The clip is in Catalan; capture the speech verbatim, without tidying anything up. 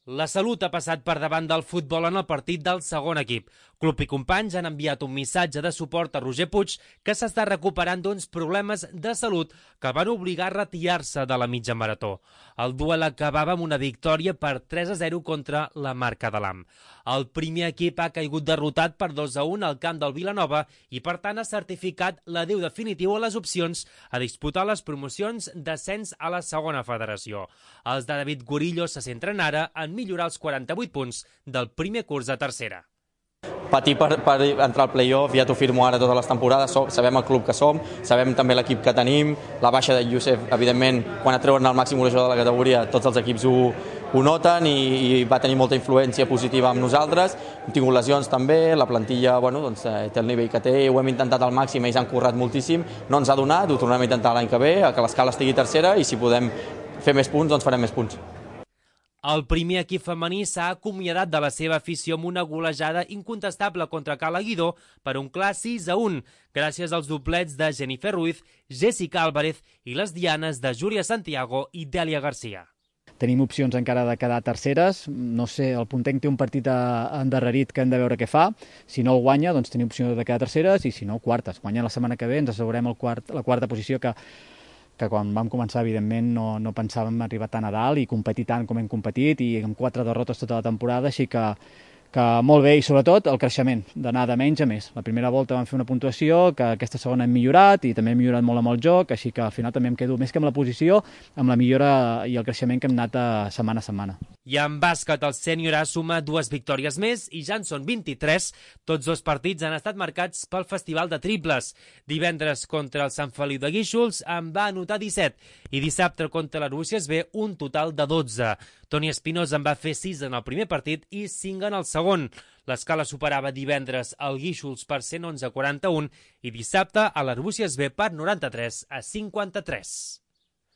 La Salut ha passat per davant del futbol en el partit del segon equip. Club i companys han enviat un missatge de suport a Roger Puig, que s'està recuperant d'uns problemes de salut que van obligar a retirar-se de la mitja marató. El duel acabava amb una victòria per tres a zero contra la Marca de l'Am. El primer equip ha caigut derrotat per dos a un al camp del Vilanova i, per tant, ha certificat l'adéu definitiu a les opcions a disputar les promocions d'ascens a la segona federació. Els de David Gorillo se centren ara en millorar els quaranta-vuit punts del primer curs de tercera. Patir per, per entrar al play-off, ja t'ho firmo ara totes les temporades, sabem el club que som, sabem també l'equip que tenim, la baixa de Youssef, evidentment, quan et treuen el màxim golejador de la categoria, tots els equips ho, ho noten i, i va tenir molta influència positiva amb nosaltres. Hem tingut lesions també, la plantilla bueno, doncs, té el nivell que té, ho hem intentat al màxim, ells han currat moltíssim, no ens ha donat, ho tornarem a intentar l'any que ve, que l'escala estigui tercera i si podem fer més punts, doncs farem més punts. El primer equip femení s'ha acomiadat de la seva afició amb una golejada incontestable contra Cala Guidó per un clar sis a un, gràcies als doblets de Jennifer Ruiz, Jessica Álvarez i les dianes de Júlia Santiago i Dèlia Garcia. Tenim opcions encara de quedar terceres, no sé, el Puntenc té un partit endarrerit que hem de veure què fa, si no el guanya doncs tenim opció de quedar terceres i si no quartes. Guanyant la setmana que ve ens assegurem el quart, la quarta posició que que quan vam començar, evidentment, no, no pensàvem arribar tan a dalt i competir tant com hem competit i amb quatre derrotes tota la temporada, així que, que molt bé, i sobretot el creixement, d'anar de menys a més. La primera volta vam fer una puntuació, que aquesta segona hem millorat i també hem millorat molt amb el joc, així que al final també em quedo més que amb la posició, amb la millora i el creixement que hem anat a setmana a setmana. I en bàsquet, el sènior A suma dues victòries més i ja en són vint-i-tres. Tots dos partits han estat marcats pel Festival de Triples. Divendres contra el Sant Feliu de Guíxols en va anotar disset i dissabte contra l'Arbúcies B un total de dotze. Toni Espinosa en va fer sis en el primer partit i cinc en el segon. L'escala superava divendres el Guíxols per cent onze a quaranta-un i dissabte a l'Arbúcies B per noranta-tres a cinquanta-tres.